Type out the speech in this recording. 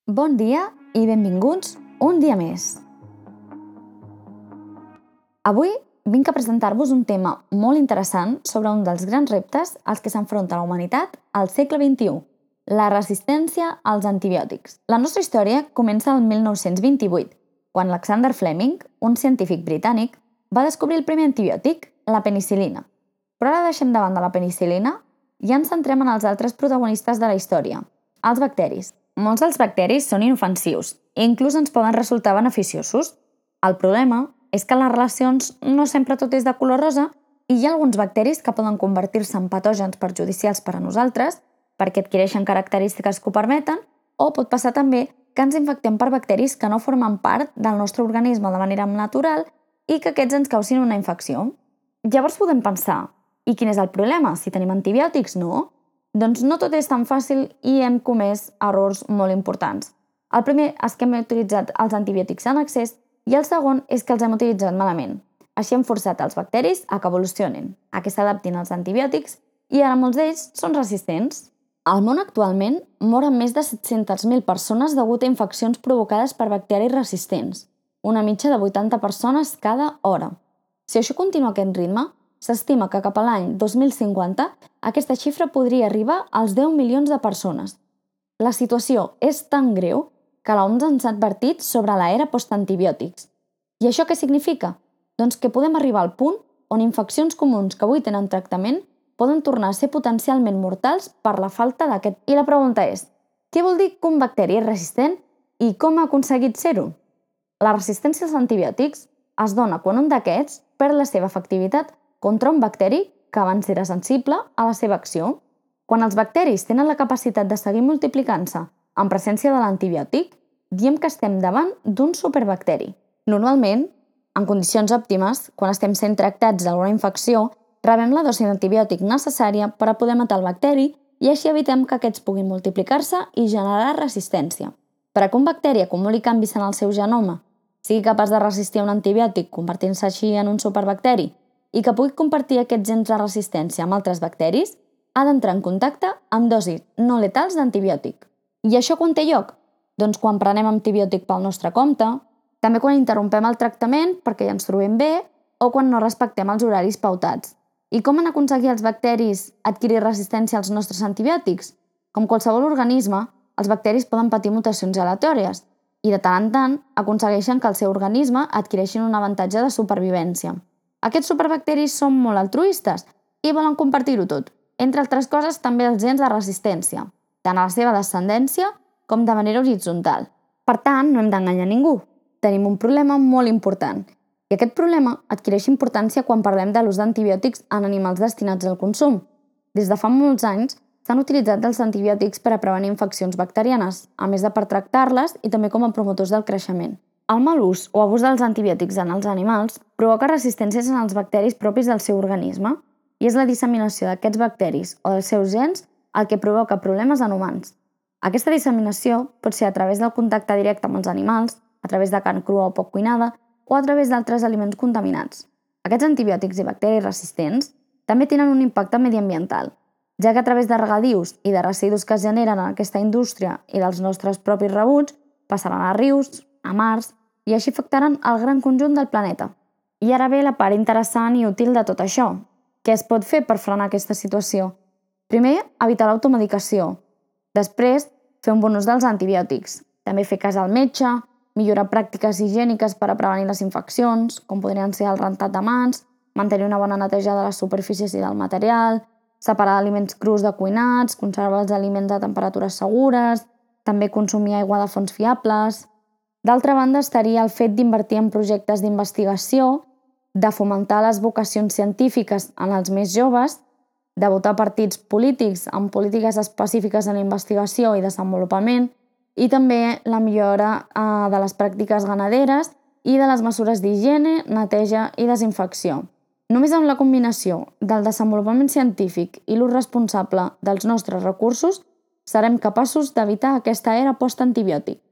Bon dia i benvinguts un dia més. Avui vinc a presentar-vos un tema molt interessant sobre un dels grans reptes als que s'enfronta la humanitat al segle XXI, la resistència als antibiòtics. La nostra història comença el 1928, quan Alexander Fleming, un científic britànic, va descobrir el primer antibiòtic, la penicil·lina. Però ara deixem de banda la penicil·lina i ens centrem en els altres protagonistes de la història, els bacteris. Molts dels bacteris són inofensius i inclús ens poden resultar beneficiosos. El problema és que en les relacions no sempre tot és de color rosa i hi ha alguns bacteris que poden convertir-se en patògens perjudicials per a nosaltres perquè adquireixen característiques que ho permeten, o pot passar també que ens infectem per bacteris que no formen part del nostre organisme de manera natural i que aquests ens causin una infecció. Llavors podem pensar, i quin és el problema? Si tenim antibiòtics, no? Doncs no tot és tan fàcil i hem comès errors molt importants. El primer és que hem utilitzat els antibiòtics en excés i el segon és que els hem utilitzat malament. Així hem forçat els bacteris a que evolucionin, a que s'adaptin als antibiòtics i ara molts d'ells són resistents. Al món actualment moren més de 700.000 persones degut a infeccions provocades per bacteris resistents, una mitja de 80 persones cada hora. Si això continua a aquest ritme, s'estima que cap a l'any 2050 aquesta xifra podria arribar als 10 milions de persones. La situació és tan greu que l'OMS ens ha advertit sobre l'era postantibiòtics. I això què significa? Doncs que podem arribar al punt on infeccions comuns que avui tenen tractament poden tornar a ser potencialment mortals per la falta d'aquest. I la pregunta és, què vol dir que un bacteri és resistent i com ha aconseguit ser-ho? La resistència als antibiòtics es dona quan un d'aquests perd la seva efectivitat contra un bacteri que abans era sensible a la seva acció. Quan els bacteris tenen la capacitat de seguir multiplicant-se en presència de l'antibiòtic, diem que estem davant d'un superbacteri. Normalment, en condicions òptimes, quan estem sent tractats d'alguna infecció, rebem la dosi d'antibiòtic necessària per a poder matar el bacteri i així evitem que aquests puguin multiplicar-se i generar resistència. Per a que un bacteri acumuli canvis en el seu genoma, sigui capaç de resistir un antibiòtic convertint-se així en un superbacteri i que pugui compartir aquests gens de resistència amb altres bacteris, ha d'entrar en contacte amb dosis no letals d'antibiòtic. I això quan té lloc? Doncs quan prenem antibiòtic pel nostre compte, també quan interrompem el tractament perquè ja ens trobem bé o quan no respectem els horaris pautats. I com han aconseguit els bacteris adquirir resistència als nostres antibiòtics? Com qualsevol organisme, els bacteris poden patir mutacions aleatòries i de tant en tant aconsegueixen que el seu organisme adquireixin un avantatge de supervivència. Aquests superbacteris són molt altruistes i volen compartir-ho tot, entre altres coses també els gens de resistència, tant a la seva descendència com de manera horitzontal. Per tant, no hem d'enganyar ningú. Tenim un problema molt important. I aquest problema adquireix importància quan parlem de l'ús d'antibiòtics en animals destinats al consum. Des de fa molts anys s'han utilitzat els antibiòtics per a prevenir infeccions bacterianes, a més de per tractar-les i també com a promotors del creixement. El mal ús o abús dels antibiòtics en els animals provoca resistències en els bacteris propis del seu organisme i és la disseminació d'aquests bacteris o dels seus gens el que provoca problemes en humans. Aquesta disseminació pot ser a través del contacte directe amb els animals, a través de carn crua o poc cuinada o a través d'altres aliments contaminats. Aquests antibiòtics i bacteris resistents també tenen un impacte mediambiental, ja que a través de regadius i de residus que es generen en aquesta indústria i dels nostres propis rebuts passaran a rius, a mars, i així afectaran el gran conjunt del planeta. I ara ve la part interessant i útil de tot això. Què es pot fer per frenar aquesta situació? Primer, evitar l'automedicació. Després, fer un bon ús dels antibiòtics. També fer cas al metge, millorar pràctiques higièniques per a prevenir les infeccions, com podrien ser el rentat de mans, mantenir una bona neteja de les superfícies i del material, separar aliments crus de cuinats, conservar els aliments a temperatures segures, també consumir aigua de fonts fiables. D'altra banda, estaria el fet d'invertir en projectes d'investigació, de fomentar les vocacions científiques en els més joves, de votar partits polítics amb polítiques específiques en investigació i desenvolupament, i també la millora de les pràctiques ganaderes i de les mesures d'higiene, neteja i desinfecció. Només amb la combinació del desenvolupament científic i l'ús responsable dels nostres recursos serem capaços d'evitar aquesta era postantibiòtic.